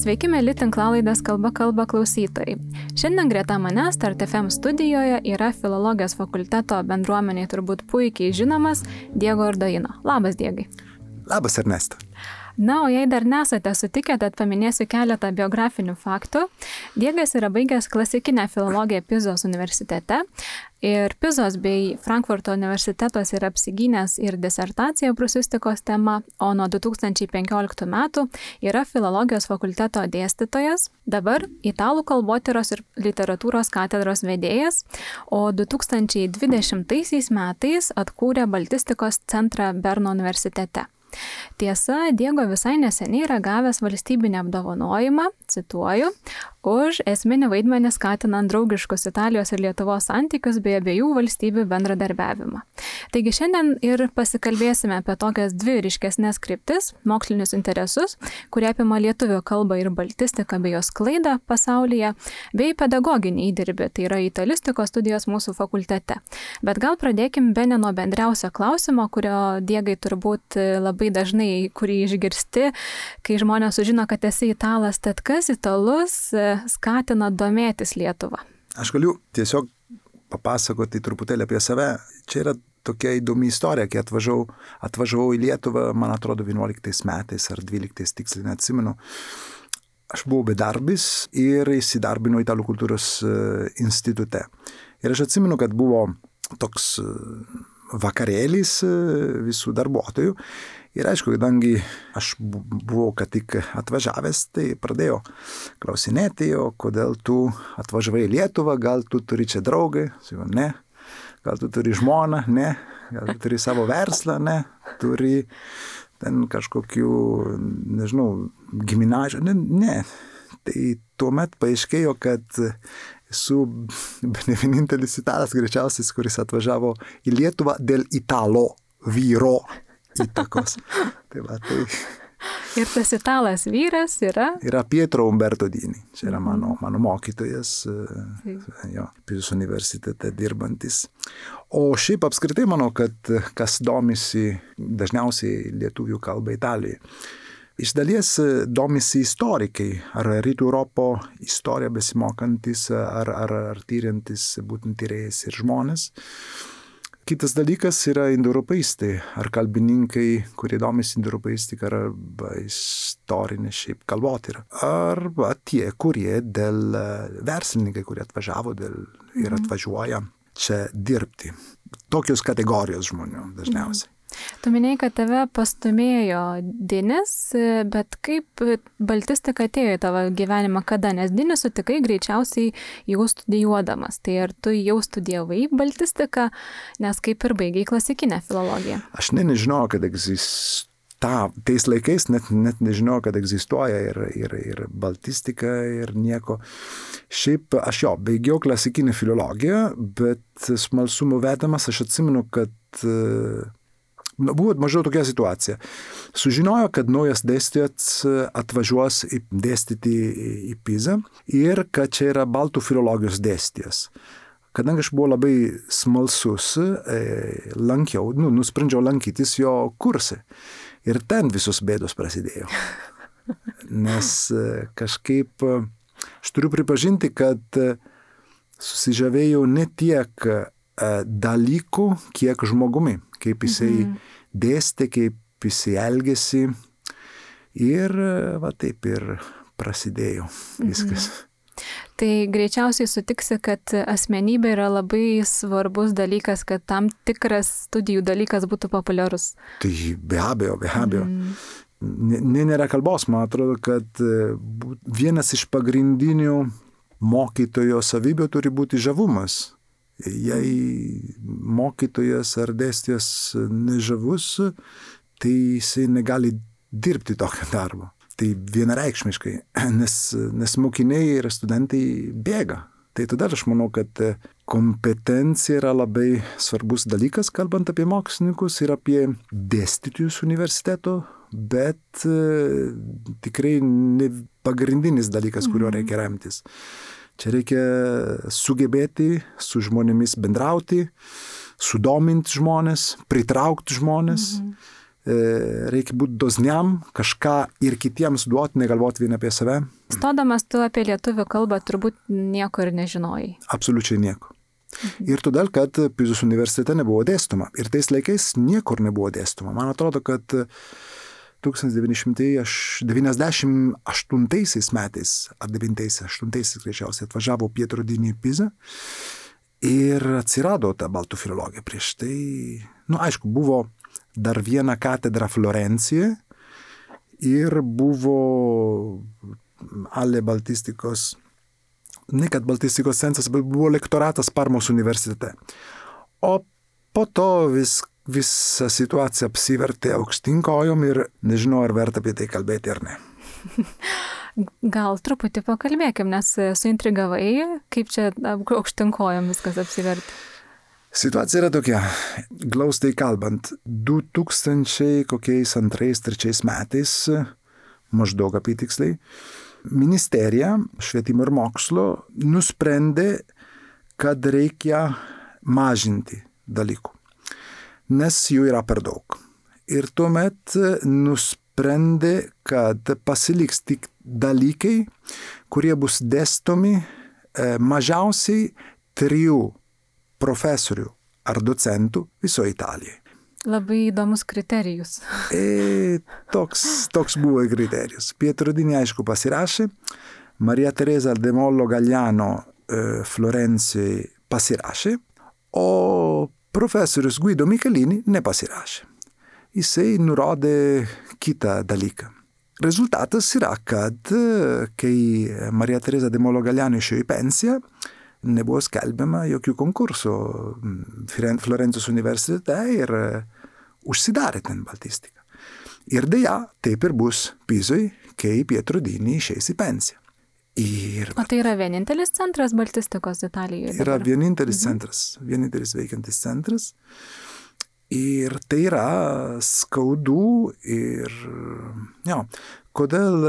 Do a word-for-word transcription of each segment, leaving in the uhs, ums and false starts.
Sveiki, mėly tinklalaidės Kalba kalba klausytojai. Šiandien greta manęs Start F M studijoje yra filologijos fakulteto bendruomeniai turbūt puikiai žinomas Diego Ardoino. Labas, Diegai. Labas, Ernesta. Na, o jei dar nesate sutikę, tad paminėsiu keletą biografinių faktų. Diegas yra baigęs klasikinę filologiją Pizos universitete ir Pizos bei Frankfurto universitetos yra apsigynęs ir disertaciją prūsistikos tema, o nuo du tūkstančiai penkioliktų metų yra filologijos fakulteto dėstytojas, dabar italų kalbotyros ir literatūros katedros vedėjas, o du tūkstančiai dvidešimtaisiais metais atkūrė Baltistikos centrą Berno universitete. Tiesa, Diego visai neseniai yra gavęs valstybinį apdovanojimą, cituoju, už esminį vaidmenį skatinant draugiškus Italijos ir Lietuvos santykius bei abiejų valstybių bendradarbiavimą. Taigi šiandien ir pasikalbėsime apie tokias dvi ryškesnės kryptis, mokslinius interesus, kurie apima lietuvių kalbą ir baltistiką bei jos sklaidą pasaulyje, bei pedagoginį įdirbį, tai yra italistikos studijos mūsų fakultete. Bet gal pradėkim bene nuo bendriausio klausimo, kurio Diegai turbūt labai dažnai, kurį išgirsti, kai žmonės sužino, kad esi italas, tad kas italus skatina domėtis Lietuvą? Aš galiu tiesiog papasakoti truputėlį apie save. Čia yra tokia įdomi istorija, kai atvažiavau, atvažiavau į Lietuvą, man atrodo, vienuoliktais metais ar dvyliktais, tiksliai neatsimenu. Aš buvau bedarbis ir įsidarbinau Italų kultūros institute. Ir aš atsimenu, kad buvo toks vakarėlis visų darbuotojų. Ir aišku, kadangi aš buvau ką tik atvažiavęs, tai pradėjau klausinėti, o kodėl tu atvažiavai į Lietuvą, gal tu turi čia draugą, ne, gal tu turi žmoną, ne, gal tu turi savo verslą, ne, turi ten kažkokių, nežinau, giminažių, ne, ne. Tai tuomet paaiškėjo, kad esu ne vienintelis italas greičiausias, kuris atvažiavo į Lietuvą dėl italo vyro įtakos. Tai va, tai... Ir tas italas vyras yra? Yra Pietro Umberto Dini. Čia yra mano, mano mokytojas, jo, Pizos universitete dirbantis. O šiaip apskritai manau, kad kas domisi dažniausiai lietuvių kalba Italijoje. Iš dalies domisi istorikai, ar rytų Europo istoriją besimokantis, ar, ar, ar tyriantis būtent tyrėjas ir žmonės. Kitas dalykas yra indoeuropeistai, ar kalbininkai, kurie domisi indoeuropeistika arba istorinė šiaip kalbotyra. Arba tie, kurie dėl verslininkai, kurie atvažiavo dėl, ir atvažiuoja čia dirbti. Tokios kategorijos žmonių dažniausiai. Tu minėjai, kad tave pastumėjo Dinis, bet kaip baltistika atėjo į tavo gyvenimą kada? Nes Dinį sutikai greičiausiai jau studijuodamas. Tai ar tu jau studijavai baltistiką, nes kaip ir baigiai klasikinę filologiją? Aš ne, nežinau, kad egzistuoja. Ta, tais laikais net, net nežinau, kad egzistuoja ir, ir, ir baltistika ir nieko. Šiaip aš jo, baigiau klasikinę filologiją, bet smalsumo vedamas aš atsimenu, kad nu, buvo mažiau tokia situacija. Sužinojo, kad naujas dėstytojas atvažiuos dėstyti į Pizą ir kad čia yra baltų filologijos dėstytojas. Kadangi aš buvau labai smalsus, lankiau, nu, nusprendžiau lankytis jo kursą. Ir ten visos bėdos prasidėjo. Nes kažkaip aš turiu pripažinti, kad susižavėjau ne tiek dalykų, kiek žmogumi, kaip jisai mm-hmm. dėstė, kaip jisai elgėsi. Ir va taip ir prasidėjo viskas. Mm-hmm. Tai greičiausiai sutiksi, kad asmenybė yra labai svarbus dalykas, kad tam tikras studijų dalykas būtų populiarus. Tai be abejo, be abejo. Mm. Ne, nėra kalbos, man atrodo, kad vienas iš pagrindinių mokytojo savybių turi būti žavumas. Jei mokytojas ar dėstytojas nežavus, tai jisai negali dirbti tokio darbo. Tai vienareikšmiškai, nes, nes mokiniai ir studentai bėga. Tai tada aš manau, kad kompetencija yra labai svarbus dalykas, kalbant apie mokslininkus ir apie dėstytojus universiteto, bet e, tikrai ne pagrindinis dalykas, kurio reikia remtis. Čia reikia sugebėti su žmonėmis bendrauti, sudominti žmonės, pritraukti žmonės. Mhm. reikia būti dosniam, kažką ir kitiems duoti, negalvoti vien apie save. Stodamas tu apie lietuvių kalbą turbūt nieko ir nežinojai. Absoliučiai nieko. Mhm. Ir todėl, kad Pizos universitete nebuvo dėstoma. Ir tais laikais niekur nebuvo dėstoma. Man atrodo, kad tūkstantis devyni šimtai devyniasdešimt aštuntaisiais metais, ar devintaisiais, aštuntaisiais greičiausiai atvažiavo Pietro Dini į Pizą ir atsirado ta baltų filologija. Prieš tai, nu aišku, buvo dar viena katedra Florencijoje ir buvo Ale baltistikos, ne kad baltistikos centras, bet buvo lektoratas Parmos universitete. O po to vis, visa situacija apsivertė aukštyn kojom ir nežinau, ar verta apie tai kalbėti ar ne. Gal truputį pakalbėkim, nes suintrigavai, kaip čia aukštyn kojom viskas apsivertė. Situacija yra tokia, glaustai kalbant, du tūkstančiai kokiais antrais, trečiais metais, maždaug apytiksliai, ministerija švietimo ir mokslo nusprendė, kad reikia mažinti dalykų, nes jų yra per daug. Ir tuomet nusprendė, kad pasiliks tik dalykai, kurie bus dėstomi mažiausiai trijų profesorių ar docentų visoje Italijoje. Labai įdomus kriterijus. E, toks, toks buvo kriterijus. Pietro Dini, aišku, pasirašė, Maria Teresa de Mollo Gagliano e, Florencijai pasirašė, o profesorius Guido Michelini nepasirašė. Jisai nurodė kitą dalyką. Rezultatas yra, kad kai Maria Teresa de Mollo Gagliano išėjo į pensiją, nebuvo skelbiama jokių konkursų Florencijos universitete ir užsidarė ten baltistika. Ir deja, taip ir bus Pizoj, kai Pietro Dini išeis į pensiją. Ir, o tai yra vienintelis centras baltistikos Italijoje? Yra dabar? vienintelis mhm. centras, vienintelis veikiantis centras. Ir tai yra skaudu ir, jo, kodėl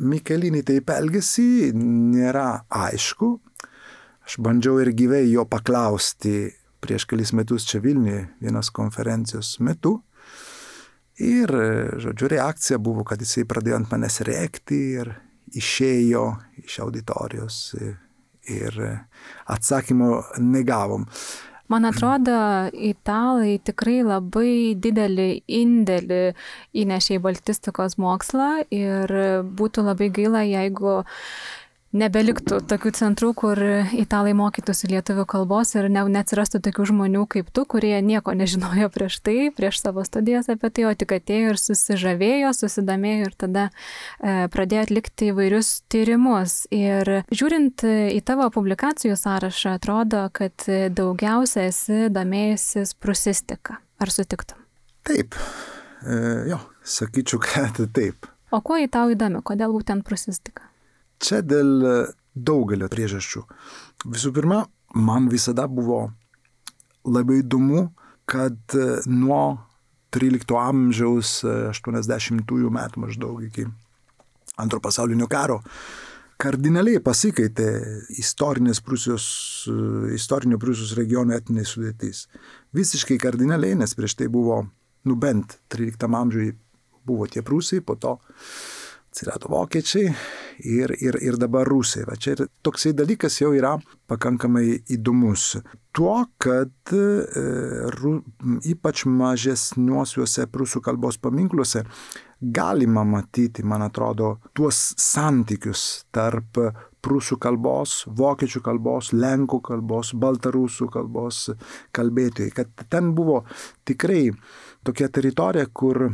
Michelini taip elgėsi, nėra aišku. Aš bandžiau ir gyvai jo paklausti prieš kelis metus čia Vilniuje vienos konferencijos metu. Ir, žodžiu, reakcija buvo, kad jisai pradėjo ant manęs rėkti ir išėjo iš auditorijos ir atsakymo negavom. Man atrodo, italai tikrai labai didelį indėlį įnešė į baltistikos mokslą ir būtų labai gaila, jeigu nebeliktų tokių centrų, kur italai mokytųsi lietuvių kalbos ir ne, neatsirastų tokių žmonių kaip tu, kurie nieko nežinojo prieš tai, prieš savo studijas apie tai, o tik atėjo ir susižavėjo, susidomėjo ir tada e, pradėjo atlikti įvairius tyrimus. Ir žiūrint į tavo publikacijų sąrašą, atrodo, kad daugiausia esi domėjusis prūsistika. Ar sutiktum? Taip, e, jo, sakyčiau, kad taip. O kuo į tau įdomi? Kodėl būtent prūsistika? Čia dėl daugelio priežasčių. Visų pirma, man visada buvo labai įdomu, kad nuo trylikto amžiaus aštuoniasdešimtųjų metų maždaug iki antro pasaulinio karo kardinaliai pasikeitė istorinės Prūsijos, istorinio Prūsijos regiono etinė sudėtis. Visiškai kardinaliai, nes prieš tai buvo, nu bent tryliktam amžiui buvo tie prūsai, po to atsirado vokiečiai ir, ir, ir dabar rusai. Va čia ir toksai dalykas jau yra pakankamai įdomus. Tuo, kad e, ru, ypač mažesniuosiuose prūsų kalbos paminkluose galima matyti, man atrodo, tuos santykius tarp prūsų kalbos, vokiečių kalbos, lenkų kalbos, baltarusų kalbos kalbėtojai. Kad ten buvo tikrai tokia teritorija, kur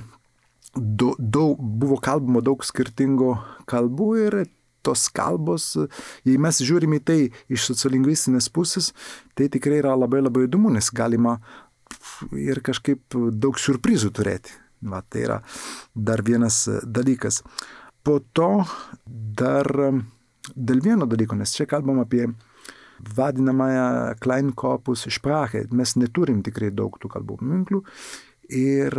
Daug, daug, buvo kalbama daug skirtingų kalbų ir tos kalbos, jei mes žiūrime į tai iš sociolingvistinės pusės, tai tikrai yra labai labai įdomu, nes galima ir kažkaip daug siurprizų turėti. Va, tai yra dar vienas dalykas. Po to dar dėl vieno dalyko, nes čia kalbam apie vadinamąją Kleinkopus Sprache. Mes neturim tikrai daug tų kalbų paminklų ir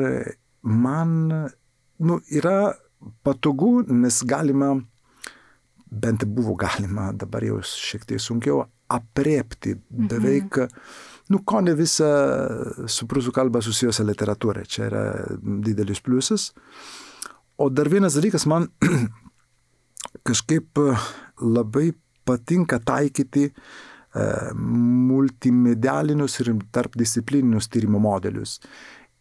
man nu, yra patogu, nes galima, bent buvo galima, dabar jau šiek tiek sunkiau, aprėpti beveik nu, ko ne visą su prūsų kalba susijusią literatūrą. Čia yra didelis pliusas. O dar vienas dalykas, man kažkaip labai patinka taikyti e, multimedialinius ir tarpdisciplininius tyrimo modelius.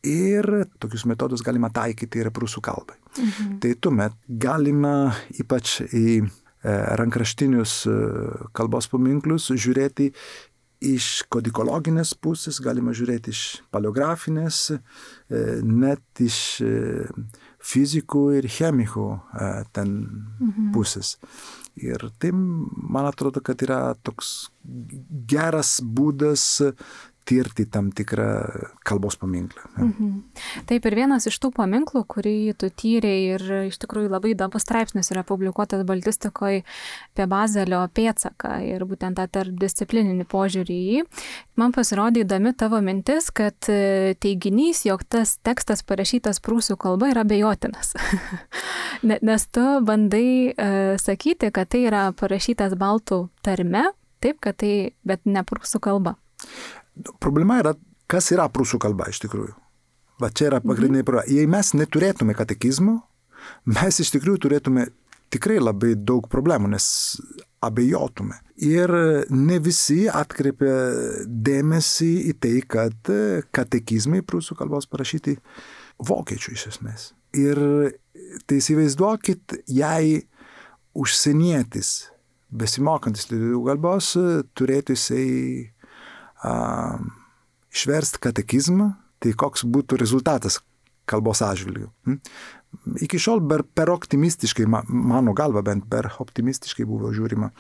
Ir tokius metodus galima taikyti ir prūsų kalbai. Mhm. Tai tuomet galima ypač į e, rankraštinius e, kalbos paminklus žiūrėti iš kodikologinės pusės, galima žiūrėti iš paleografinės, e, net iš e, fizikų ir chemikų e, ten mhm. pusės. Ir tai, man atrodo, kad yra toks geras būdas tirti tam tikrą kalbos paminklą. Mhm. Taip, ir vienas iš tų paminklų, kurį tu tyrei ir iš tikrųjų labai įdomus straipsnis yra publikuotas baltistikoje apie Bazelio pėdsaką ir būtent tą tarpdisciplininį požiūrį į jį, man pasirodė įdomi tavo mintis, kad teiginys, jog tas tekstas parašytas prūsų kalba yra abejotinas. Nes tu bandai uh, sakyti, kad tai yra parašytas baltų tarme, taip, kad tai, bet ne prūsų kalba. Problema yra, kas yra prūsų kalba iš tikrųjų. Va čia yra pagrindinė problema. Jei mes neturėtume katekizmo, mes iš tikrųjų turėtume tikrai labai daug problemų, nes abejotume. Ir ne visi atkreipia dėmesį į tai, kad katekizmai prūsų kalbos parašyti vokiečių iš esmės. Ir tai įsivaizduokit, jei užsienietis, besimokantis lietuvių kalbos, turėtų jisai Uh, išversti katekizmą, tai koks būtų rezultatas kalbos atžvilgiu. Hmm? Iki šiol per, per optimistiškai, mano galva bent per optimistiškai buvo žiūrima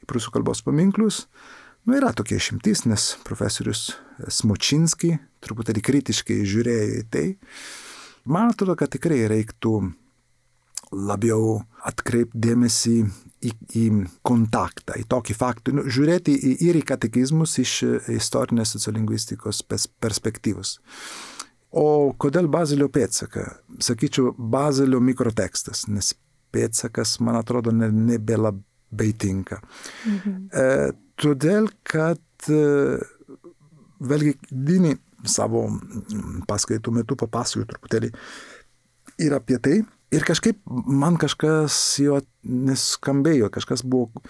į prūsų kalbos paminklus. Nu, yra tokie išimtis, nes profesorius Smočinski truputėlį kritiškai žiūrėjo į tai. Man atrodo, kad tikrai reiktų labiau atkreipti dėmesį į, į kontaktą, į tokį faktą, nu, žiūrėti į, ir į katekizmus iš istorinės sociolingvistikos perspektyvos. O kodėl Bazelio pėdsaka? Sakyčiau, Bazelio mikrotekstas, nes pėdsakas, man atrodo, ne, nebelabai tinka. Mhm. E, todėl, kad e, vėlgi Dini savo paskaitų metu papasakojo truputėlį ir apie tai. Ir kažkaip man kažkas jo neskambėjo, kažkas buvo.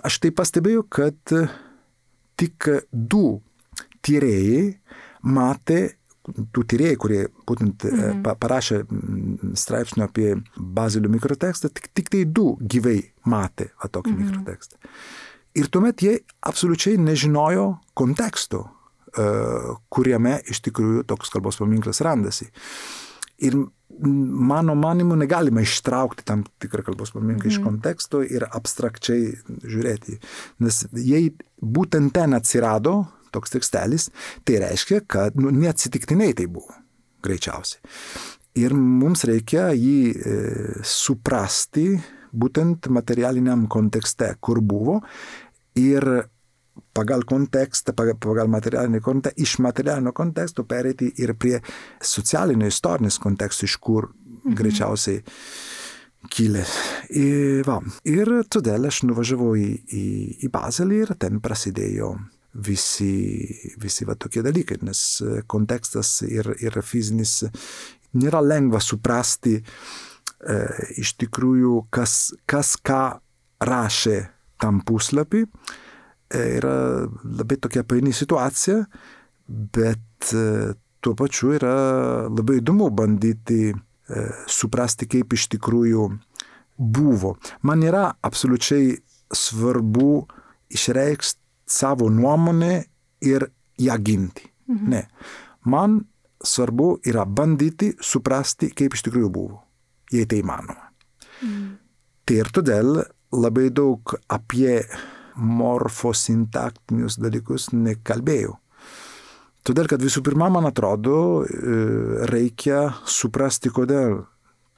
Aš tai pastebėjau, kad tik du tyrėjai matė, tų tyrėjai, kurie būtent mhm. parašė straipsnio apie Bazelio mikrotekstą, tik, tik tai du gyvai matė va, tokį mhm. mikrotekstą. Ir tuomet jie absoliučiai nežinojo konteksto, kuriame iš tikrųjų toks kalbos paminklas randasi. Ir mano manimu negalima ištraukti tam tikrą kalbos paminklą mm. iš konteksto ir abstrakčiai žiūrėti. Nes jei būtent ten atsirado toks tekstelis, tai reiškia, kad nu, neatsitiktinai tai buvo, greičiausiai. Ir mums reikia jį e, suprasti būtent materialiniam kontekste, kur buvo, ir pagal kontekstą, pagal materialinį kontekstą, iš materialinio konteksto pereiti ir prie socialinio istorinės konteksto, iš kur mhm. greičiausiai kilė. Ir, va, ir todėl aš nuvažiavau į, į, į Bazelį ir ten prasidėjo visi, visi va, tokie dalykai, nes kontekstas ir, ir fizinis nėra lengva suprasti e, iš tikrųjų, kas, kas ką rašė tam puslapį. Yra labai tokia paini situacija, bet tuo pačiu yra labai įdomu bandyti e, suprasti, kaip iš tikrųjų buvo. Man yra absoliučiai svarbu išreikšti savo nuomonę ir ją ginti. Mhm. Ne. Man svarbu yra bandyti suprasti, kaip iš tikrųjų buvo, jei tai įmanoma. Mhm. Tai ir todėl labai daug apie morfosintaktinius dalykus nekalbėjau. Todėl, kad visų pirma, man atrodo, reikia suprasti, kodėl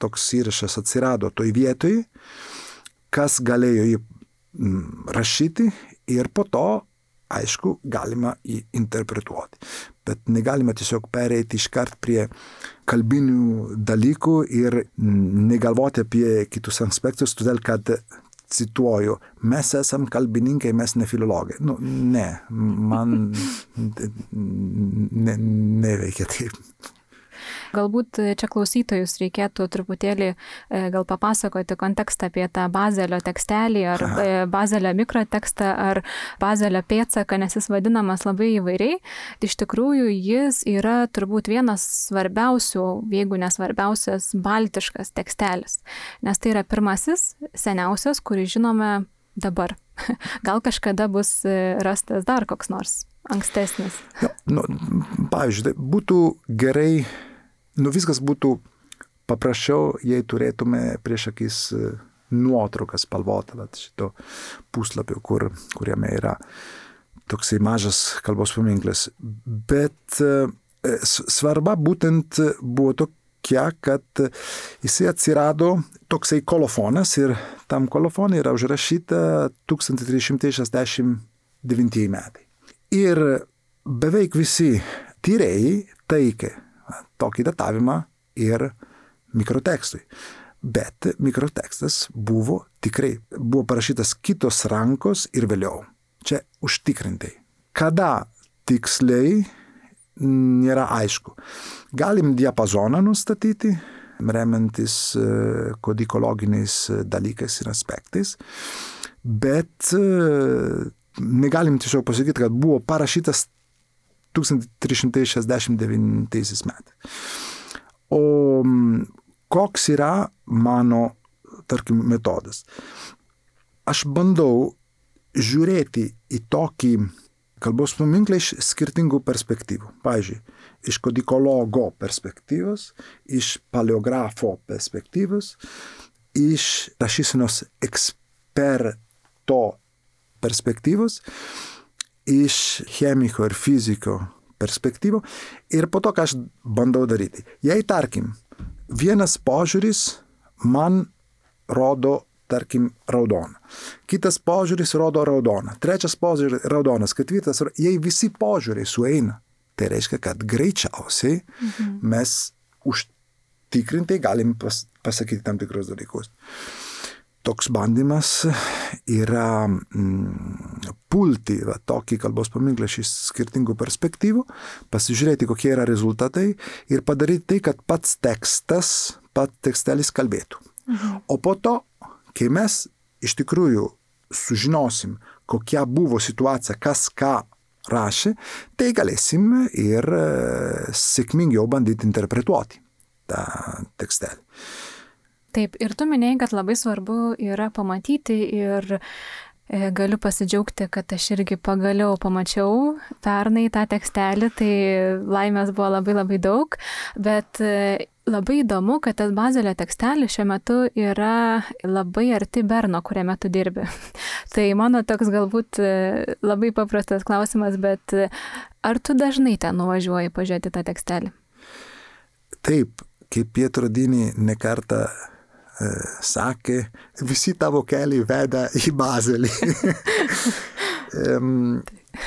toks įrašas atsirado toj vietoj, kas galėjo jį rašyti ir po to, aišku, galima jį interpretuoti. Bet negalima tiesiog pereiti iškart prie kalbinių dalykų ir negalvoti apie kitus aspektus, todėl, kad cituoju, mes esam kalbininkai, mes ne filologai. Nu, ne, man ne, neveikia taip. Galbūt čia klausytojus reikėtų truputėlį gal papasakoti kontekstą apie tą Bazelio tekstelį, ar Aha. Bazelio mikrotekstą, ar Bazelio pėdsaką, nes jis vadinamas labai įvairiai. Iš tikrųjų, jis yra turbūt vienas svarbiausių, jeigu nesvarbiausias, baltiškas tekstelis, nes tai yra pirmasis, seniausias, kurį žinome dabar. Gal kažkada bus rastas dar koks nors ankstesnis. Ja, nu, pavyzdžiui, būtų gerai, nu viskas būtų paprasčiau, jei turėtume prieš akis nuotrauką spalvotą šito puslapio, kur, kuriame yra toksai mažas kalbos paminklas. Bet svarba būtent buvo tokia, kad jisai atsirado toksai kolofonas ir tam kolofonai yra užrašyta tūkstantis trys šimtai šešiasdešimt devinti metai. Ir beveik visi tyrėjai taikė tokį datavimą ir mikrotekstui. Bet mikrotekstas buvo tikrai, buvo parašytas kitos rankos ir vėliau. Čia užtikrintai. Kada tiksliai nėra aišku. Galim diapazoną nustatyti, remiantis kodikologiniais dalykais ir aspektais, bet negalim tiesiog pasakyti, kad buvo parašytas tūkstantis trys šimtai šešiasdešimt devinti metais. O koks yra mano, tarkim, metodas? Aš bandau žiūrėti į tokį kalbos paminklą iš skirtingų perspektyvų. Pavyzdžiui, iš kodikologo perspektyvos, iš paleografo perspektyvos, iš rašysenos eksperto perspektyvos, iš chemiko ir fiziko perspektyvų ir po to, ką aš bandau daryti. Jei, tarkim, vienas požiūris man rodo, tarkim, raudoną, kitas požiūris rodo raudoną, trečias požiūris raudonas, ketvirtas, jei visi požiūriai sueina, tai reiškia, kad greičiausiai mhm. mes užtikrintai galim pas, pasakyti tam tikrus dalykus. Toks bandymas yra mm, pulti va, tokį kalbos paminklą iš skirtingų perspektyvų, pasižiūrėti, kokie yra rezultatai ir padaryti tai, kad pats tekstas, pats tekstelis kalbėtų. Mhm. O po to, kai mes iš tikrųjų sužinosim, kokia buvo situacija, kas ką rašė, tai galėsim ir e, sėkmingiau bandyti interpretuoti tą tekstelį. Taip, ir tu minėjai, kad labai svarbu yra pamatyti ir e, galiu pasidžiaugti, kad aš irgi pagaliau pamačiau pernai tą tekstelį, tai laimės buvo labai labai daug, bet e, labai įdomu, kad tas Bazelio tekstelis šiuo metu yra labai arti Berno, kuriame tu dirbi. Tai mano toks galbūt e, labai paprastas klausimas, bet e, ar tu dažnai ten nuvažiuoji pažiūrėti tą tekstelį? Taip, kaip Pietro Dini nekartą sakė, visi tavo keliai veda į Bazelį.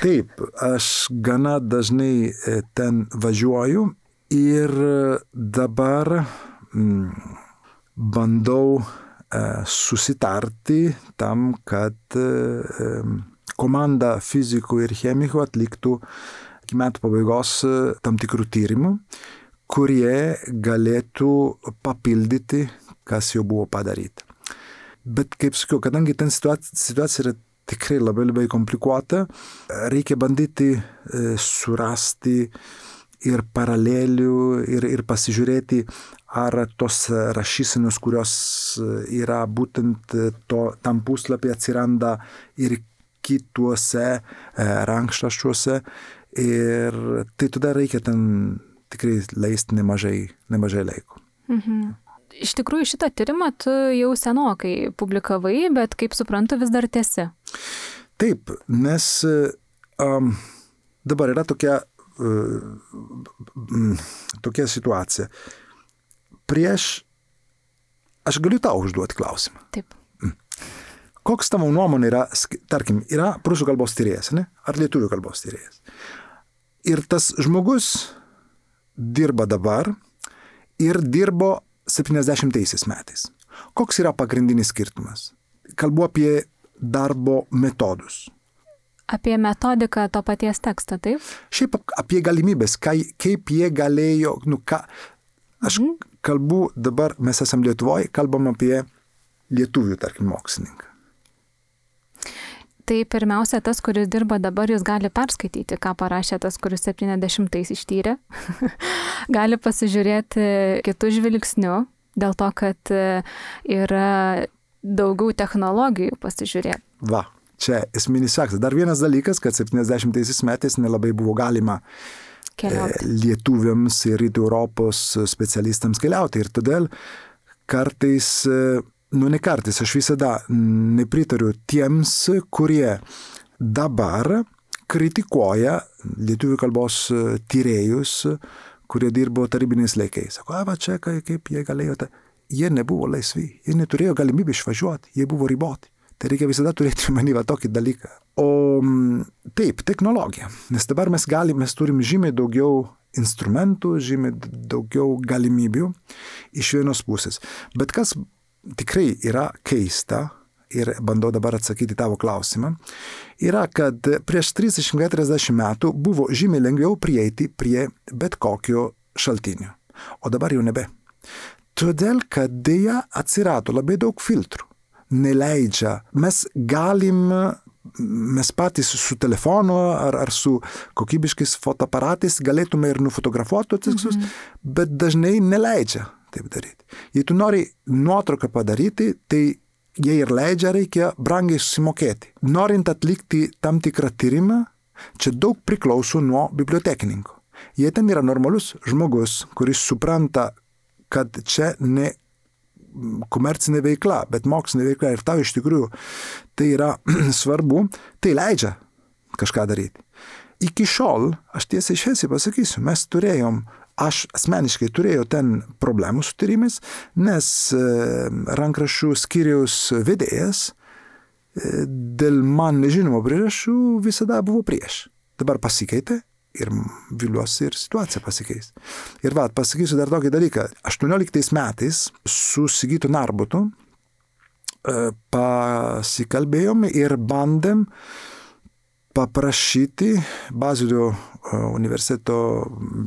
Taip, aš gana dažnai ten važiuoju ir dabar mm, bandau susitarti tam, kad komanda fizikų ir chemikų atliktų iki metų pabaigos tam tikrų tyrimų, kurie galėtų papildyti, kas jau buvo padaryta. Bet, kaip sakiau, kadangi ten situacija, situacija yra tikrai labai labai komplikuota, reikia bandyti e, surasti ir paralelių ir, ir pasižiūrėti, ar tos rašysenos, kurios yra būtent to, tam puslapį atsiranda ir kituose e, rankšraščiuose. Ir tai tada reikia ten tikrai leisti nemažai, nemažai laiko. Mhm. Iš tikrųjų, šitą tyrimą tu jau senokai publikavai, bet kaip suprantu, vis dar tęsi. Taip, nes um, dabar yra tokia, uh, tokia situacija. Prieš, aš galiu tau užduoti klausimą. Taip. Koks tavo nuomonė yra, tarkim, yra prūsų kalbos tyrėjas, ne? Ar lietuvių kalbos tyrėjas? Ir tas žmogus dirba dabar ir dirbo septyniasdešimtaisiais metais. Koks yra pagrindinis skirtumas? kalbu apie darbo metodus. Apie metodiką to paties teksto, taip? Šiaip apie galimybės, kai, kaip jie galėjo, nu ką, aš mhm. kalbu dabar, mes esam Lietuvoje, kalbam apie lietuvių, tarkim, mokslininką. Tai pirmiausia, tas, kuris dirba dabar, jis gali perskaityti, ką parašė tas, kuris septyniasdešimtais ištyrė. Gali pasižiūrėti kitų žvilgsnių, dėl to, kad yra daugiau technologijų pasižiūrėti. Va, čia esminis faktas. Dar vienas dalykas, kad septyniasdešimtaisiais metais nelabai buvo galima keliauti. Lietuviams ir rytų Europos specialistams keliauti. Ir todėl kartais... Nu, ne kartais, aš visada nepritariu tiems, kurie dabar kritikuoja lietuvių kalbos tyrėjus, kurie dirbo tarybiniais laikais. Sako, a, va čia, kaip jie galėjo. Ta... Jie nebuvo laisvi, jie neturėjo galimybę išvažiuoti, jie buvo riboti. Tai reikia visada turėti manį va tokį dalyką. O taip, technologija. Nes dabar mes galime, mes turim žymiai daugiau instrumentų, žymiai daugiau galimybių iš vienos pusės. Bet kas tikrai yra keista, ir bandau dabar atsakyti tavo klausimą, yra, kad prieš trisdešimt keturiasdešimt metų buvo žymiai lengviau prieiti prie bet kokio šaltinio. O dabar jau nebe. Todėl, kad dėja atsirado labai daug filtrų. Neleidžia. Mes galim, mes patys su telefonu ar, ar su kokybiškais fotoaparatais galėtume ir nufotografuoti tuos tekstus, mm-hmm. bet dažnai neleidžia taip daryti. Jei tu nori nuotrauką padaryti, tai jei ir leidžia, reikia brangiai susimokėti. Norint atlikti tam tikrą tyrimą, čia daug priklauso nuo bibliotekininko. Jei ten yra normalus žmogus, kuris supranta, kad čia ne komercinė veikla, bet mokslinė veikla ir tau iš tikrųjų tai yra svarbu, tai leidžia kažką daryti. Iki šiol, aš tiesiai šviesiai pasakysiu, mes turėjom Aš asmeniškai turėjau ten problemų su tyrimais, nes rankraščių skyriaus vedėjas dėl man nežinomo priežasčių visada buvo prieš. Dabar pasikeitė ir viliuosi ir situacija pasikeis. Ir va, pasakysiu dar tokį dalyką. aštuonioliktais metais su Sigitu Narbutu pasikalbėjom ir bandėm paprašyti Bazilio universiteto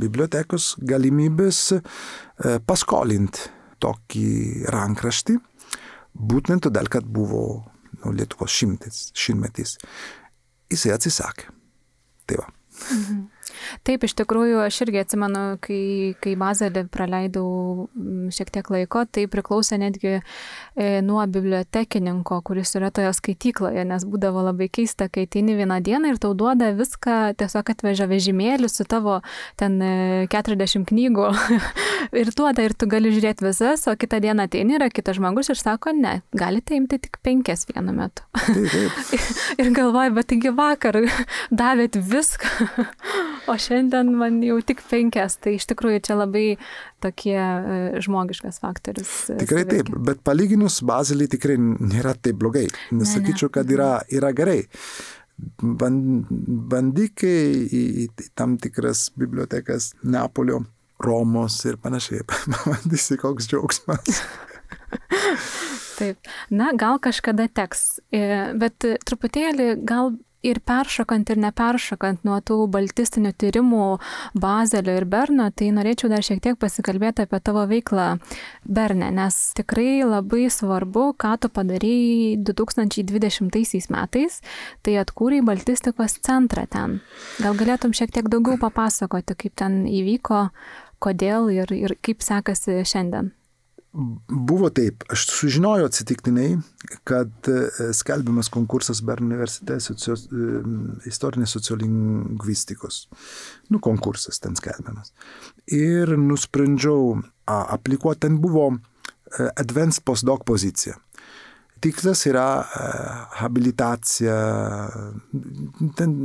bibliotekos galimybės paskolinti tokį rankraštį, būtent todėl, kad buvo nu, Lietuvos šimtis, šimtmetis. Jisai atsisakė. Tai va. Mhm. Taip, iš tikrųjų, aš irgi atsimenu, kai, kai Bazelį praleidau šiek tiek laiko, tai priklausė netgi e, nuo bibliotekininko, kuris yra toje skaitykloje, nes būdavo labai keista, kai ateini vieną dieną ir tau duoda viską, tiesiog atveža vežimėlį su tavo ten keturiasdešimt knygų ir duoda ir tu gali žiūrėti visas, o kitą dieną ateini yra kitas žmogus ir sako, ne, galite imti tik penkias vienu metu. Ir galvoju, bet taigi vakar davėt viską. O šiandien man jau tik penkias, tai iš tikrųjų čia labai tokie žmogiškas faktorius. Tikrai taip, bet palyginus Bazilį tikrai nėra taip blogai. Nesakyčiau, kad yra, yra gerai. Bandyk į, į tam tikras bibliotekas Neapolio, Romos ir panašiai. Bandysi koks džiaugsmas. Taip. Na, gal kažkada teks, bet truputėlį gal ir peršokant ir neperšokant nuo tų baltistinių tyrimų Bazelio ir Berno, tai norėčiau dar šiek tiek pasikalbėti apie tavo veiklą Berne, nes tikrai labai svarbu, ką tu padarei du tūkstančiai dvidešimtaisiais metais, tai atkūrei baltistikos centrą ten. Gal galėtum šiek tiek daugiau papasakoti, kaip ten įvyko, kodėl ir, ir kaip sekasi šiandien? Buvo taip, aš sužinojau atsitiktinai, kad skelbiamas konkursas Berno universitete socio, istorinės sociolingvistikos. Nu, konkursas ten skelbiamas. Ir nusprendžiau aplikuoti, ten buvo advanced postdoc pozicija. Tikslas yra habilitacija, ten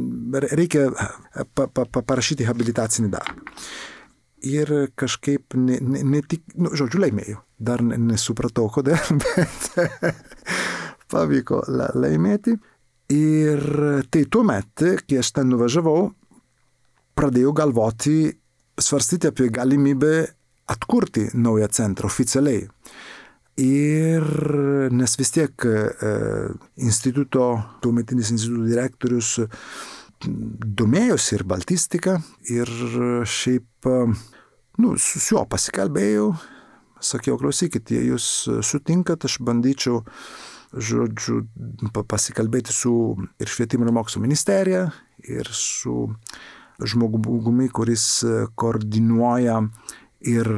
reikia pa, pa, pa, parašyti habilitacinį darbą. Ir kažkaip ne, ne, ne tik, nu, žodžiu, laimėjau. Dar nesupratau, kodėl, bet pavyko laimėti. Ir tai tuomet, kai aš ten nuvažiavau, pradėjau galvoti, svarstyti apie galimybę atkurti naują centrą oficialiai. Ir nes vis tiek e, instituto, tuometinis instituto direktorius domėjosi ir baltistika, ir šiaip, nu, su juo pasikalbėjau, sakiau, klausykit, jei jūs sutinkat, aš bandyčiau, žodžiu, pasikalbėti su ir švietimo ir mokslo ministerija, ir su žmogumi, kuris koordinuoja ir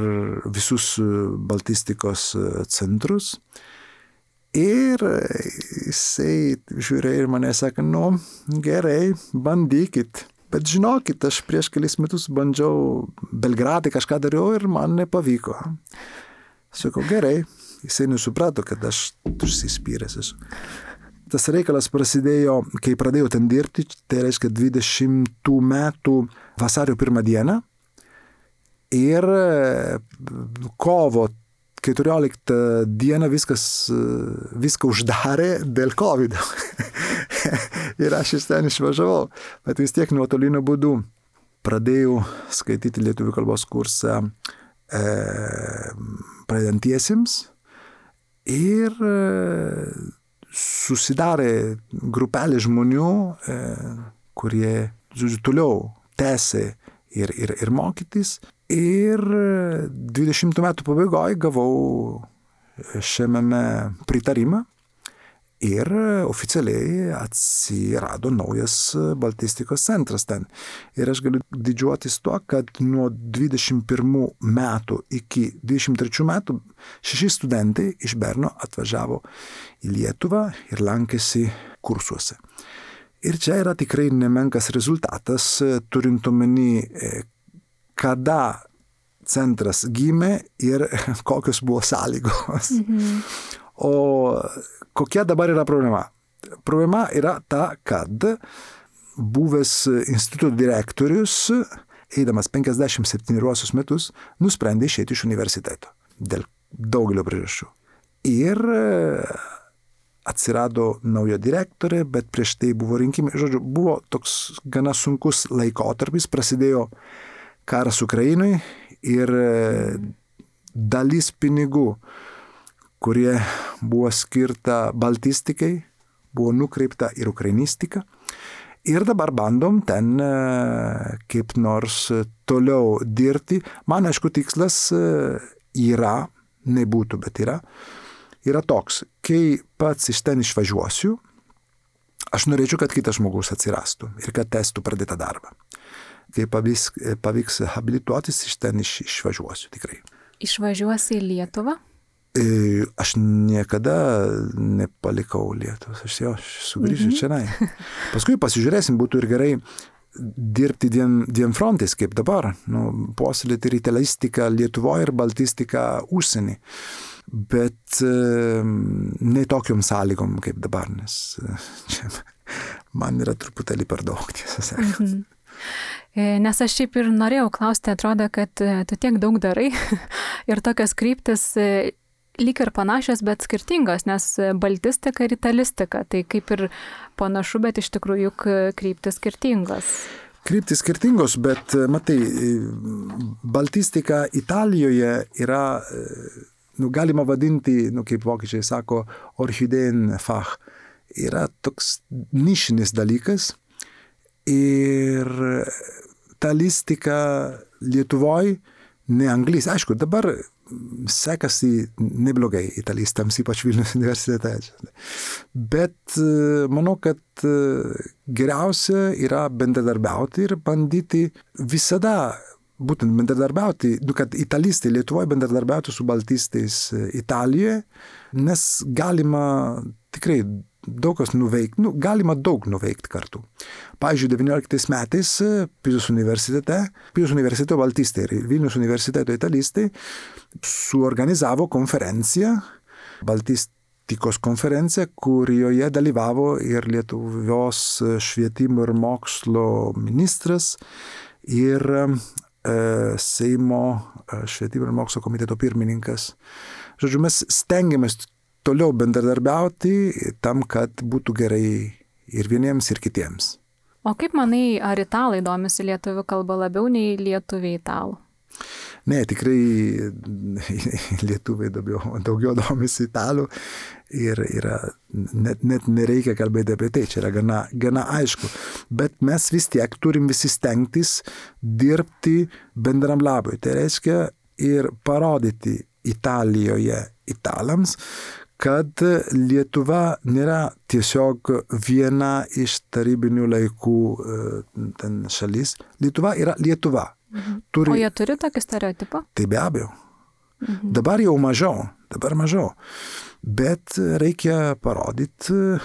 visus baltistikos centrus. Ir jisai žiūrėjo ir mane sakė, nu, gerai, bandykit. Bet žinokit, aš prieš kelis metus bandžiau Belgradai kažką dariau ir man nepavyko. Sakau, gerai, jisai nesuprato, kad aš užsispyręs esu. Tas reikalas prasidėjo, kai pradėjau ten dirbti, tai reiškia dvidešimtų metų vasario pirmą dieną. Ir kovo keturioliktą dieną viskas, viską uždarė dėl COVID. Ir aš iš ten išvažiavau, bet vis tiek nuotoliniu būdu pradėjau skaityti lietuvių kalbos kursą e, pradedantiesiems ir e, susidarė grupelė žmonių, e, kurie, žodžiu, toliau tęsė ir, ir, ir mokytis. Ir dvidešimtų metų pabaigoje gavau šiame pritarimą ir oficialiai atsirado naujas baltistikos centras ten. Ir aš galiu didžiuotis tuo, kad nuo dvidešimt pirmų metų iki dvidešimt trečių metų šeši studentai iš Berno atvažiavo į Lietuvą ir lankėsi kursuose. Ir čia yra tikrai nemenkas rezultatas, turint omeny, kada centras gimė ir kokios buvo sąlygos. Mhm. O kokia dabar yra problema? Problema yra ta, kad buvęs instituto direktorius, eidamas penkiasdešimt septynerius metus, nusprendė išeiti iš universiteto dėl daugelio priežasčių. Ir atsirado nauja direktorė, bet prieš tai buvo rinkimai. Žodžiu, buvo toks gana sunkus laikotarpis, prasidėjo karas Ukrainoj ir dalis pinigų, kurie buvo skirta baltistikai, buvo nukreipta ir ukrainistiką. Ir dabar bandom ten kaip nors toliau dirbti. Man, aišku, tikslas yra, nebūtų, bet yra, yra toks, kai pats iš ten išvažiuosiu, aš norėčiau, kad kitas žmogus atsirastų ir kad testų pradėtą darbą. Kai pavyks, pavyks habilituotis, iš ten iš, išvažiuosiu tikrai. Išvažiuosi į Lietuvą? E, aš niekada nepalikau Lietuvos, aš jau sugrįšiu mhm. čia. Paskui pasižiūrėsim, būtų ir gerai dirbti dviem, dviem frontais, kaip dabar. Nu, puoselėti ir italistiką Lietuvoje ir baltistiką užsienį. Bet e, ne tokiom sąlygom kaip dabar, nes čia man yra truputėlį per daug, tiesą sakant. Mhm. Nes aš šiaip ir norėjau klausti, atrodo, kad tu tiek daug darai ir tokios kryptis lyg ir panašios, bet skirtingos, nes baltistika ir italistika, tai kaip ir panašu, bet iš tikrųjų juk kryptis skirtingos. Kryptis skirtingos, bet matai, baltistika Italijoje yra, nu, galima vadinti, nu, kaip vokiečiai sako, Orchideenfach, yra toks nišinis dalykas. Ir italistika Lietuvoj, ne anglys. Aišku, dabar sekasi neblogai italistams, ypač Vilniaus universitete. Bet manau, kad geriausia yra bendradarbiauti ir bandyti visada būtent bendradarbiauti, kad italistai Lietuvoje bendradarbiautų su baltistais Italijoje, nes galima tikrai daug kas nuveikti, nu, galima daug nuveikti kartu. Pavyzdžiui, devynioliktais metais Pizos universitete, Pizos universiteto baltistai ir Vilniaus universiteto italistai suorganizavo konferenciją, baltistikos konferenciją, kurioje dalyvavo ir Lietuvos švietimo ir mokslo ministras ir e, Seimo švietimo ir mokslo komiteto pirmininkas. Žodžiu, mes stengiamės toliau bendradarbiauti tam, kad būtų gerai ir vieniems, ir kitiems. O kaip manai, ar italai domisi lietuvių kalba labiau nei lietuviai italų? Ne, tikrai lietuviai daugiau, daugiau domisi italų ir yra, net, net nereikia kalbėti apie tai, čia yra gana, gana aišku. Bet mes vis tiek turim visi stengtis dirbti bendram labui. Tai reiškia ir parodyti Italijoje italams, kad Lietuva nėra tiesiog viena iš tarybinių laikų ten šalis. Lietuva yra Lietuva. Mhm. Turi... O jie turi tokį stereotipą? Tai be abejo. Mhm. Dabar jau mažiau, dabar mažiau. Bet reikia parodyti,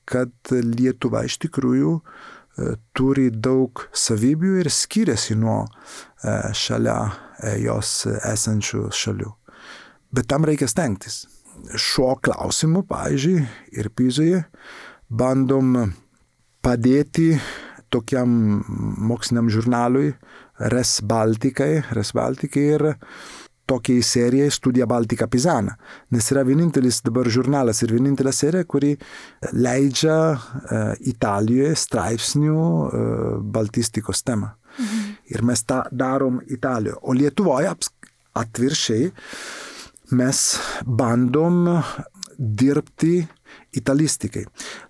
kad Lietuva iš tikrųjų turi daug savybių ir skiriasi nuo šalia jos esančių šalių. Bet tam reikia stengtis. Šiuo klausimu, pavyzdžiui, ir Pizoje bandom padėti tokiam moksliniam žurnalui Res Baltikai, Res Baltikai ir tokiai serijai Studija Baltica Pisana. Nes yra vienintelis dabar žurnalas ir vienintelė serija, kuri leidžia uh, Italijoje straipsnių uh, baltistikos temą. Mhm. Ir mes tą darom Italijoje. O Lietuvoje atviršiai mes bandom dirbti italistikai.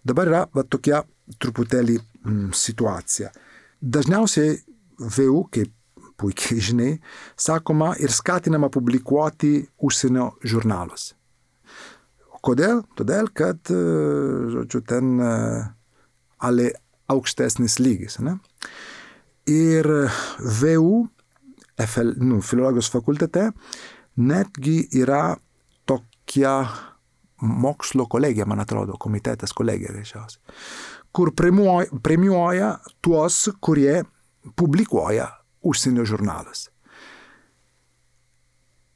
Dabar yra va, tokia truputėlį mm, situacija. Dažniausiai V U, kaip puikiai žinai, sakoma ir skatinama publikuoti užsienio žurnaluose. Kodėl? Todėl, kad, žodžiu, ten ale aukštesnis lygis. Ne? Ir V U, F L, nu, filologijos fakultete, netgi yra tokia mokslo kolegija, man atrodo, komitetas kolegija reišiausiai, kur premiuoja, premiuoja tuos, kurie publikuoja užsienio žurnalas.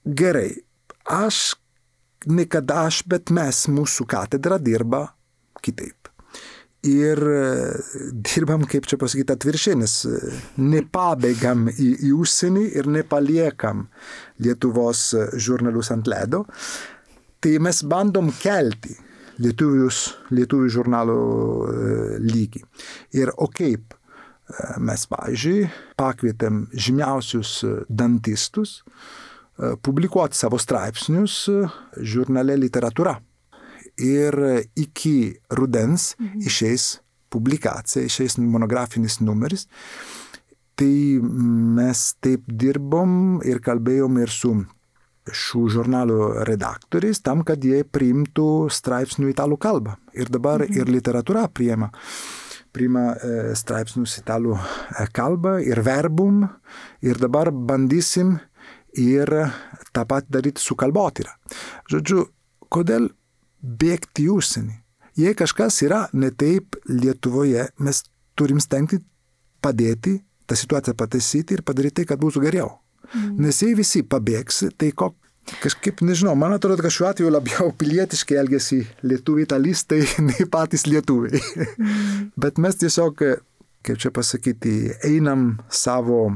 Gerai, aš, niekada aš, bet mes, mūsų katedra dirba kitaip. Ir dirbam, kaip čia pasakyti, atviršiai, nes nepabėgam į, į užsienį ir nepaliekam Lietuvos žurnalus ant ledo. Tai mes bandom kelti lietuvius, lietuvių žurnalų lygį. Ir o kaip mes, pavyzdžiui, pakvietėm žymiausius dantistus publikuoti savo straipsnius žurnale Literatūra. Ir iki rudens mhm. išeis publikacija, išeis monografinis numeris. Tai mes taip dirbom ir kalbėjom ir su šių žurnalų redaktoriais, tam, kad jie priimtų straipsnių italų kalbą. Ir dabar mhm. ir Literatūra priima, priima straipsnius italų kalbą ir verbum. Ir dabar bandysim ir tą pat daryti su kalbotyra. Žodžiu, kodėl bėgti į užsienį? Jei kažkas yra ne taip Lietuvoje, mes turim stengti padėti tą situaciją pataisyti ir padaryti tai, kad būtų geriau. Mm. Nes jei visi pabėgs, tai ko, kažkaip, nežinau, man atrodo, kad šiuo atveju labiau pilietiškai elgesi lietuviai italistai, nei patys lietuviai. Mm. Bet mes tiesiog, kaip čia pasakyti, einam savo,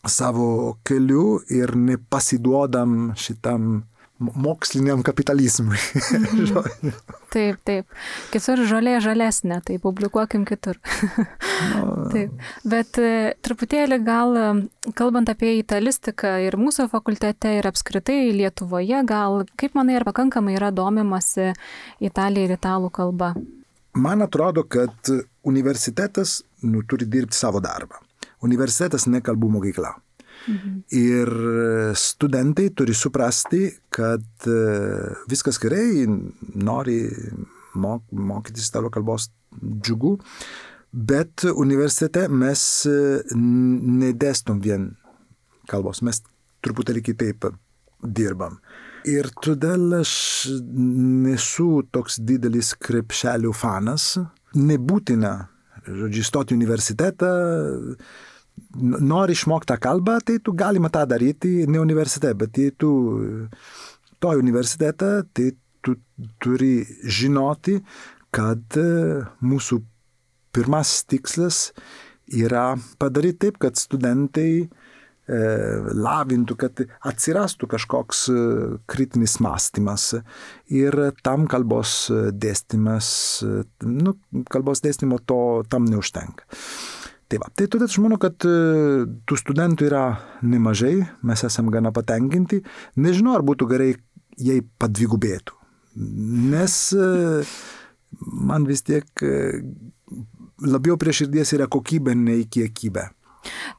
savo keliu ir nepasiduodam šitam moksliniam kapitalizmui. Mhm. Taip, taip. Kitur žolė žalesnė, tai publikuokim kitur. No. Taip. Bet truputėlį gal, kalbant apie italistiką ir mūsų fakultete ir apskritai Lietuvoje, gal, kaip manai, ar pakankamai yra domimasi Italija ir italų kalba? Man atrodo, kad universitetas nu, turi dirbti savo darbą. Universitetas ne kalbų mokykla. Mhm. Ir studentai turi suprasti, kad viskas gerai, nori mok, mokytis italų kalbos džiugu, bet universitete mes nedėstom vien kalbos, mes truputėlį kitaip dirbam. Ir todėl aš nesu toks didelis krepšelių fanas, nebūtina, žodžiu, stoti į universitetą. Nori išmokti tą kalbą, tai tu galima tą daryti ne universitete, bet jei tu to universitetą, tai tu turi žinoti, kad mūsų pirmas tikslas yra padaryti taip, kad studentai e, lavintų, kad atsirastų kažkoks kritinis mąstymas ir tam kalbos dėstymas, nu, kalbos dėstymo to tam neužtenka. Tai va, tai todėl aš manau, kad tų studentų yra nemažai, mes esame gana patenkinti. Nežinau, ar būtų gerai, jei padvigubėtų. Nes man vis tiek labiau prie širdies yra kokybė, nei kiekybė.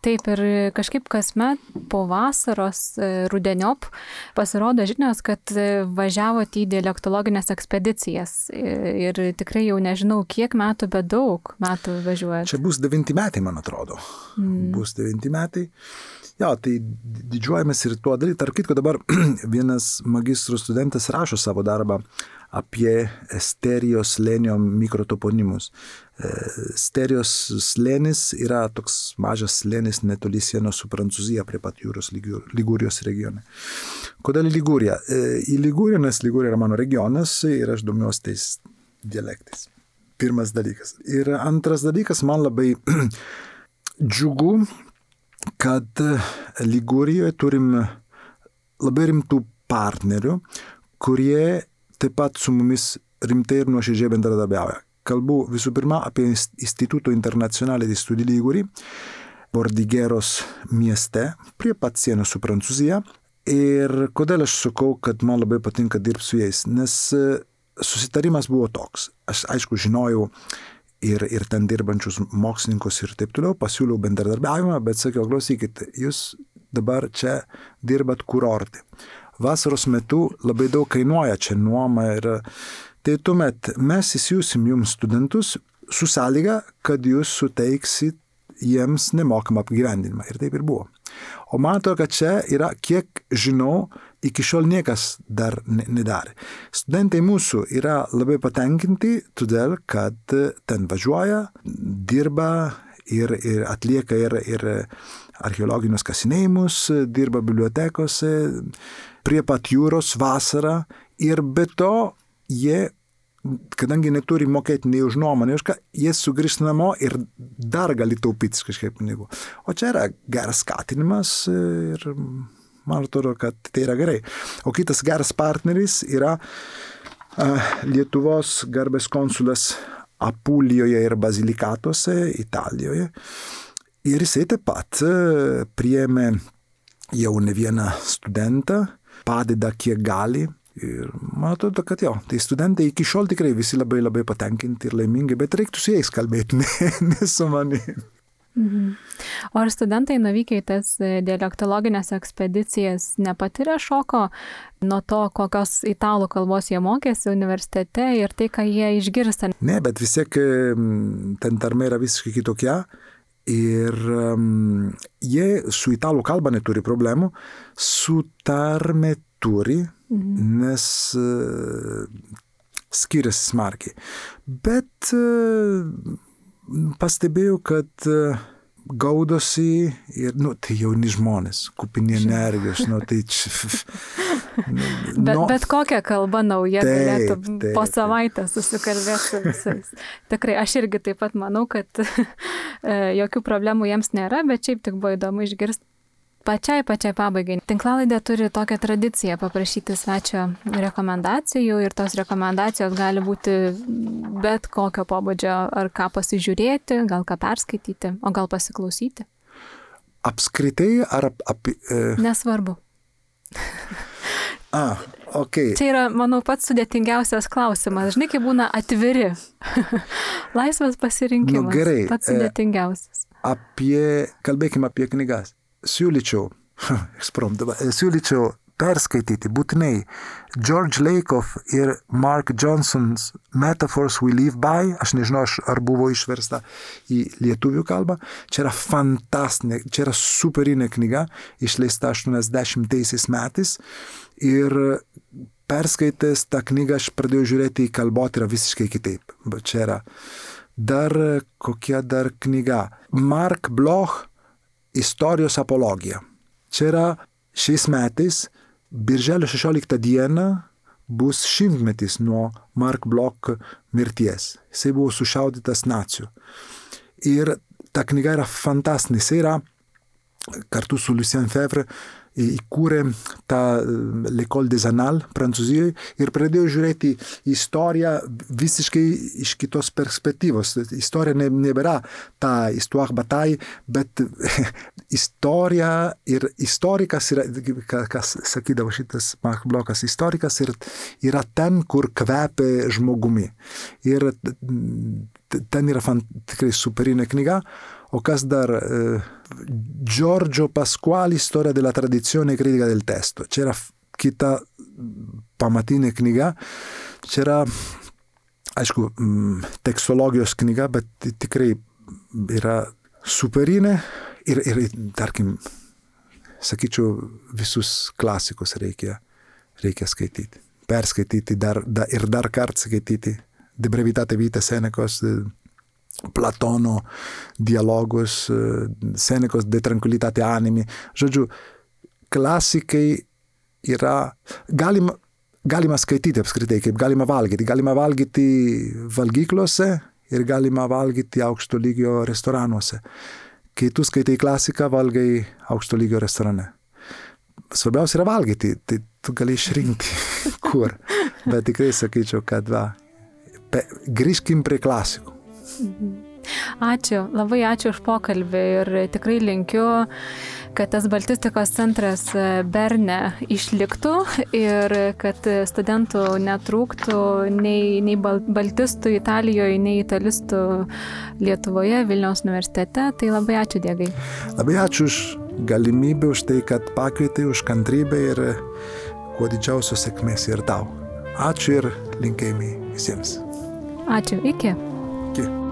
Taip, ir kažkaip kasmet po vasaros rudeniop pasirodo žinios, kad važiavote į dialektologines ekspedicijas ir tikrai jau nežinau, kiek metų, bet daug metų važiuojate. Čia bus devinti metai, man atrodo. Mm. Bus devinti metai. Jo, tai didžiuojamės ir tuo daryti. Tarp kitko dabar vienas magistro studentas rašo savo darbą apie Sterijos slėnio mikrotoponimus. Sterijos slėnis yra toks mažas slėnis netoli sienos su Prancūzija prie pat jūros Ligūrijos regione. Kodėl Ligūrija? Į Ligūriją, nes Ligūrija yra mano regionas ir aš domiuosi tais dialektais. Pirmas dalykas. Ir antras dalykas, man labai džiugu, kad Ligūrijoje turim labai rimtų partnerių, kurie taip pat su mumis rimtai ir nuoširdžiai bendradarbiauja. Kalbu visų pirma apie Instituto Internazionale di Studi Liguri, Bordigeros mieste, prie pat sienos su Prancūzija. Ir kodėl aš sakau, kad man labai patinka dirbti su jais? Nes susitarimas buvo toks. Aš aišku žinojau ir, ir ten dirbančius mokslininkus ir taip toliau, pasiūliau bendradarbiavimą, bet sakiau, klausykit, jūs dabar čia dirbat kurorte. Vasaros metu labai daug kainuoja čia nuoma ir tai tuomet mes įsiūsim jums studentus su sąlyga, kad jūs suteiksit jiems nemokamą apgyvendinimą. Ir taip ir buvo. O man atrodo, kad čia yra, kiek žinau, iki šiol niekas dar nedarė. Studentai mūsų yra labai patenkinti, todėl, kad ten važiuoja, dirba ir, ir atlieka ir, ir archeologinius kasinėjimus, dirba bibliotekose, prie pat jūros vasarą ir be to jie, kadangi neturi mokėti nei už nuomą, nei už ką, jie sugrįžta namo ir dar gali taupyti kažkaip pinigų. O čia yra geras skatinimas ir man atrodo, kad tai yra gerai. O kitas geras partneris yra uh, Lietuvos garbės konsulas Apulijoje ir Bazilikatuose, Italijoje. Ir jisai taip pat uh, priėmė jau ne vieną studentą, padeda kiek gali. Ir man atrodo, kad jo, tai studentai iki šiol tikrai visi labai labai patenkinti ir laimingi, bet reiktų su jais kalbėti, ne, ne su manim. Mhm. O ar studentai nuvykę į tas dialektologinės ekspedicijas nepatiria šoko nuo to, kokios italų kalbos jie mokėsi universitete ir tai, ką jie išgirsta? Ne, bet vis tiek ten tarmė yra visiškai kitokia. Ir um, jie su italų kalba neturi problemų, su tarme turi, mhm. nes uh, skiriasi smarkiai. Bet uh, pastebėjau, kad uh, gaudosi ir, nu, tai jauni žmonės, kupini energijos, nu, tai čia... bet, no, bet kokia kalba nauja taip, galėtų taip, po savaitę susikalbėti su visais. Tikrai, aš irgi taip pat manau, kad jokių problemų jiems nėra, bet šiaip tik buvo įdomu išgirsti. Pačiai, pačiai pabaigai. Tinklalaidė turi tokią tradiciją paprašyti svečio rekomendacijų ir tos rekomendacijos gali būti bet kokio pobūdžio, ar ką pasižiūrėti, gal ką perskaityti, o gal pasiklausyti. Apskritai ar apie... E... Nesvarbu. A, okei. Okay. Čia yra, manau, pats sudėtingiausias klausimas. Žinai, kai būna atviri. Laisvas pasirinkimas. Nu, gerai. Pats sudėtingiausias. Apie, kalbėkime apie knygas. Siūlyčiau, siūlyčiau perskaityti būtinai George Lakoff ir Mark Johnson's Metaphors We Live By. Aš nežinau, ar buvo išversta į lietuvių kalbą. Čia yra fantastinė, čia yra superinė knyga, išleista aštuoniasdešimtaisiais metais. Ir perskaitęs tą knygą aš pradėjau žiūrėti į kalbotyrą visiškai kitaip. Bet čia yra dar kokia dar knyga. Mark Bloch Istorijos apologija. Čia yra šiais metais, birželio šešioliktą dieną, bus šimtmetis nuo Mark Bloch mirties. Jisai buvo sušaudytas nacių. Ir ta knyga yra fantastinė. Jisai yra kartu su Lucien Febvre įkūrė tą L'École des Annales Prancūzijoje ir pradėjo žiūrėti istoriją visiškai iš kitos perspektyvos. Istorija ne, nebėra ta histoire bataille, bet istorija ir istorikas yra, kas sakydavo šitas Mark Blokas, istorikas ir, yra ten, kur kvepia žmogumi. Ir ten yra fan, tikrai superinė knyga. O kas dar? Giorgio Pasquali, Storia della tradizione critica del testo. Čia yra kita pamatinė knyga. Čia yra, aišku, tekstologijos knyga, bet tikrai yra superinė ir, ir tarkim, sakyčiau, visus klasikus reikia, reikia skaityti. Perskaityti dar, da, ir dar kartą skaityti. De brevitate vitae Senecos, Platono dialogus, Senecos de tranquilitate animi. Žodžiu, klasikai yra, galima, galima skaityti apskritai, kaip galima valgyti. Galima valgyti valgyklose ir galima valgyti aukšto lygio restoranuose. Kai tu skaitai klasiką, valgai aukšto lygio restorane. Svarbiausia yra valgyti, tai tu gali išrinkti kur. Bet tikrai sakyčiau, kad va, pe, grįžkim prie klasikų. Ačiū, labai ačiū už pokalbį ir tikrai linkiu, kad tas baltistikos centras Berne išliktų ir kad studentų netrūktų nei, nei baltistų Italijoje, nei italistų Lietuvoje, Vilniaus universitete. Tai labai ačiū, Diegai. Labai ačiū už galimybę, už tai, kad pakvietei, už kantrybę ir kuo didžiausios sėkmės ir tau. Ačiū ir linkėjimai visiems. Ačiū, iki. Iki.